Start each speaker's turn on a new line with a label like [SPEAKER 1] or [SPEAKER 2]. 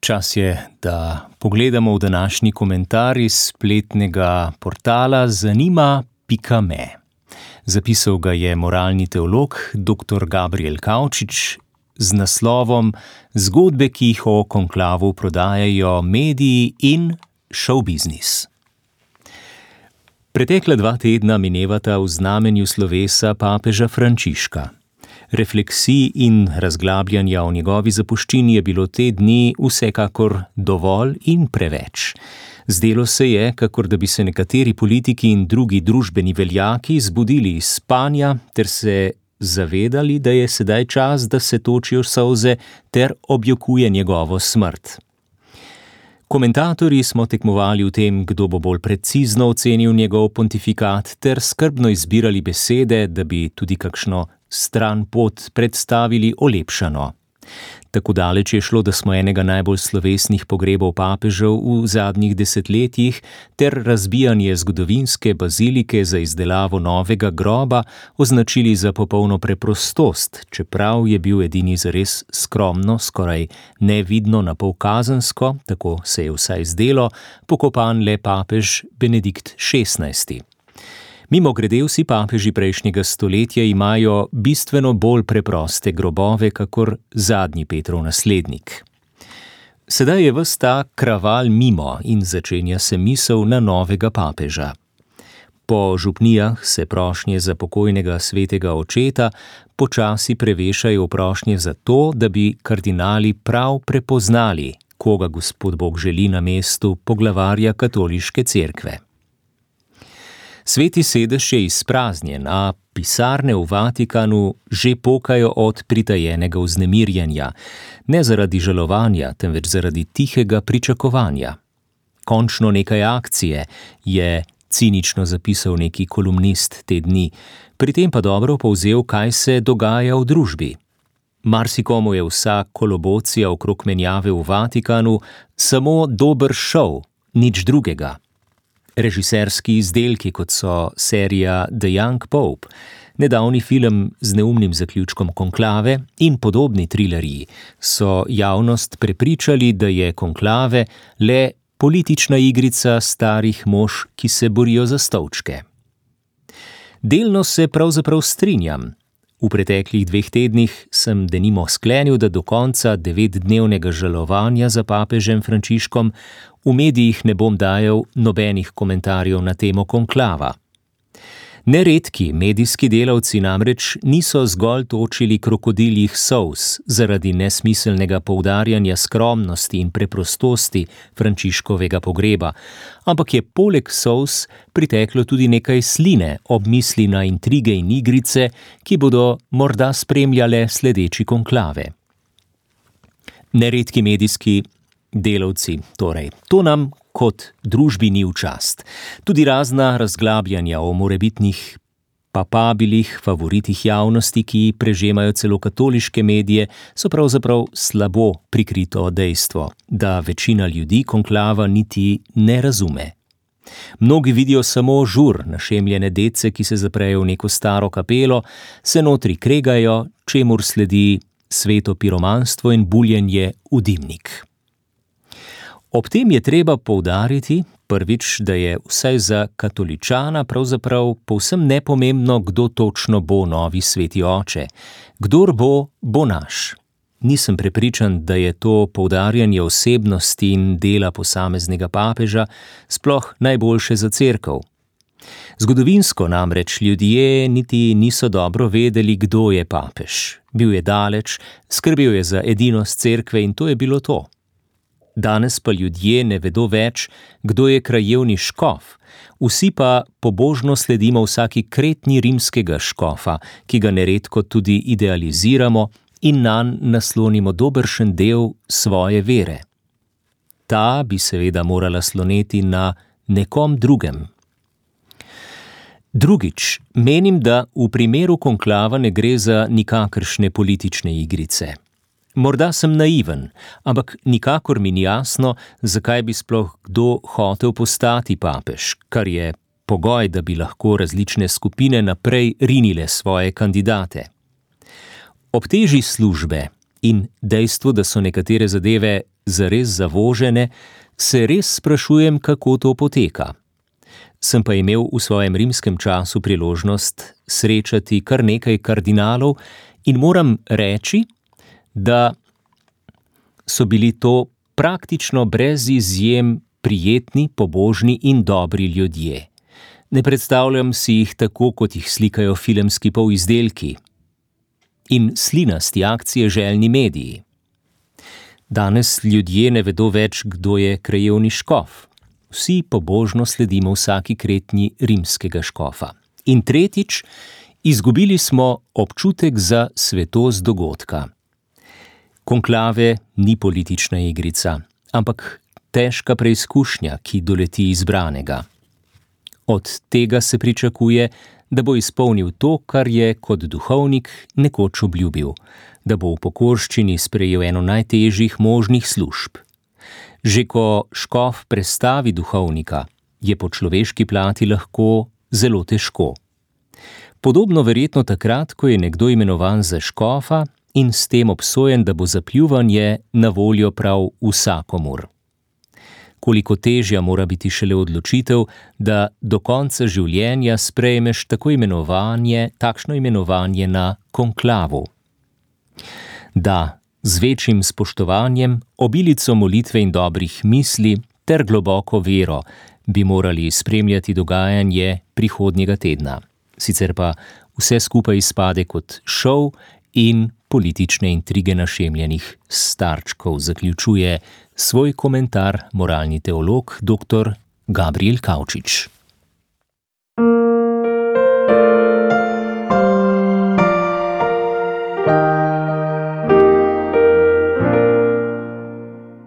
[SPEAKER 1] Čas je, da pogledamo v današnji komentar iz spletnega portala zanima.me. Zapisal ga je moralni teolog dr. Gabriel Kavčič z naslovom Zgodbe, ki jih o konklavu prodajajo mediji in showbiznis. Pretekla 2 tedna minevata v znamenju slovesa papeža Frančiška. Refleksij in razglabljanja o njegovi zapuščini je bilo te dni vsekakor dovolj in preveč. Zdelo se je, kakor da bi se nekateri politiki in drugi družbeni veljaki zbudili iz spanja ter se zavedali, da je sedaj čas, da se točijo solze ter objokuje njegovo smrt. Komentatorji smo tekmovali v tem, kdo bo bolj precizno ocenil njegov pontifikat ter skrbno izbirali besede, da bi tudi kakšno stran pot predstavili olepšano. Tako daleč je šlo, da smo enega najbolj slovesnih pogrebov papežev v zadnjih desetletjih ter razbijanje zgodovinske bazilike za izdelavo novega groba označili za popolno preprostost, čeprav je bil edini zares skromno, skoraj nevidno napol kazensko, tako se je vsaj zdelo, pokopan le papež Benedikt XVI. Mimogrede, vsi papeži prejšnjega stoletja imajo bistveno bolj preproste grobove, kakor zadnji Petrov naslednik. Sedaj je ves ta kraval mimo in začenja se misel na novega papeža. Po župnijah se prošnje za pokojnega svetega očeta počasi prevešajo v prošnje za to, da bi kardinali prav prepoznali, koga Gospod Bog želi na mestu poglavarja katoliške cerkve. Sveti sedež je izpraznjen, a pisarne v Vatikanu že pokajo od pritajenega vznemirjenja, ne zaradi žalovanja, temveč zaradi tihega pričakovanja. Končno nekaj akcije, je cinično zapisal neki kolumnist te dni, pri tem pa dobro povzel, kaj se dogaja v družbi. Marsikomu je vsa kolobocija okrog menjave v Vatikanu samo dober šov, nič drugega. Režiserski izdelki, kot so serija The Young Pope, nedavni film z neumnim zaključkom Konklave in podobni trileriji, so javnost prepričali, da je Konklave le politična igrica starih mož, ki se borijo za stolčke. Delno se pravzaprav strinjam. V preteklih 2 tednih sem denimo sklenil, da do konca 9-dnevnega žalovanja za papežem Frančiškom v medijih ne bom dajal nobenih komentarjev na temo konklava. Neredki medijski delavci namreč niso zgolj točili krokodiljih solz zaradi nesmiselnega poudarjanja skromnosti in preprostosti Frančiškovega pogreba, ampak je poleg solz priteklo tudi nekaj sline ob misli na intrige in igrice, ki bodo morda spremljale sledeči konklave. Neredki medijski delavci, torej, to nam kot družbi ni v čast. Tudi razna razglabljanja o morebitnih papabilih, favoritih javnosti, ki prežemajo celo katoliške medije, so pravzaprav slabo prikrito dejstvo, da večina ljudi konklava niti ne razume. Mnogi vidijo samo žur, našemljene dece, ki se zaprejo v neko staro kapelo, se notri kregajo, čemur sledi sveto piromanstvo in buljenje v dimnik. Ob tem je treba poudariti, prvič, da je vsaj za katoličana pravzaprav povsem nepomembno, kdo točno bo novi sveti oče. Kdor bo, bo naš. Nisem prepričan, da je to poudarjanje osebnosti in dela posameznega papeža sploh najboljše za cerkev. Zgodovinsko namreč ljudje niti niso dobro vedeli, kdo je papež. Bil je daleč, skrbel je za edinost cerkve in to je bilo to. Danes pa ljudje ne vedo več, kdo je krajevni škof, vsi pa pobožno sledimo vsaki kretnji rimskega škofa, ki ga neredko tudi idealiziramo in nanj naslonimo dobršen del svoje vere. Ta bi seveda morala sloneti na nekom drugem. Drugič, menim, da v primeru konklava ne gre za nikakršne politične igrice. Morda sem naiven, ampak nikakor mi ni jasno, zakaj bi sploh kdo hotel postati papež, kar je pogoj, da bi lahko različne skupine naprej rinile svoje kandidate. Ob teži službe in dejstvo, da so nekatere zadeve zares zavožene, se res sprašujem, kako to poteka. Sem pa imel v svojem rimskem času priložnost srečati kar nekaj kardinalov in moram reči, da so bili to praktično brez izjem prijetni, pobožni in dobri ljudje. Ne predstavljam si jih tako, kot jih slikajo filmski polizdelki in slinasti akcije željni mediji. Danes ljudje ne vedo več, kdo je krajevni škof. Vsi pobožno sledimo vsaki kretnji rimskega škofa. In tretjič, izgubili smo občutek za svetost dogodka. Konklave ni politična igrica, ampak težka preizkušnja, ki doleti izbranega. Od tega se pričakuje, da bo izpolnil to, kar je kot duhovnik nekoč obljubil, da bo v pokorščini sprejel eno najtežjih možnih služb. Že ko škof prestavi duhovnika, je po človeški plati lahko zelo težko. Podobno verjetno takrat, ko je nekdo imenovan za škofa in s tem obsojen, da bo za pljuvanje na voljo prav vsakomur. Koliko težja mora biti šele odločitev, da do konca življenja sprejmeš takšno imenovanje na konklavu. Da, z večjim spoštovanjem, obilico molitve in dobrih misli ter globoko vero bi morali spremljati dogajanje prihodnjega tedna. Sicer pa vse skupaj izpade kot šov in politične intrige našemljenih starčkov, zaključuje svoj komentar moralni teolog dr. Gabriel Kavčič.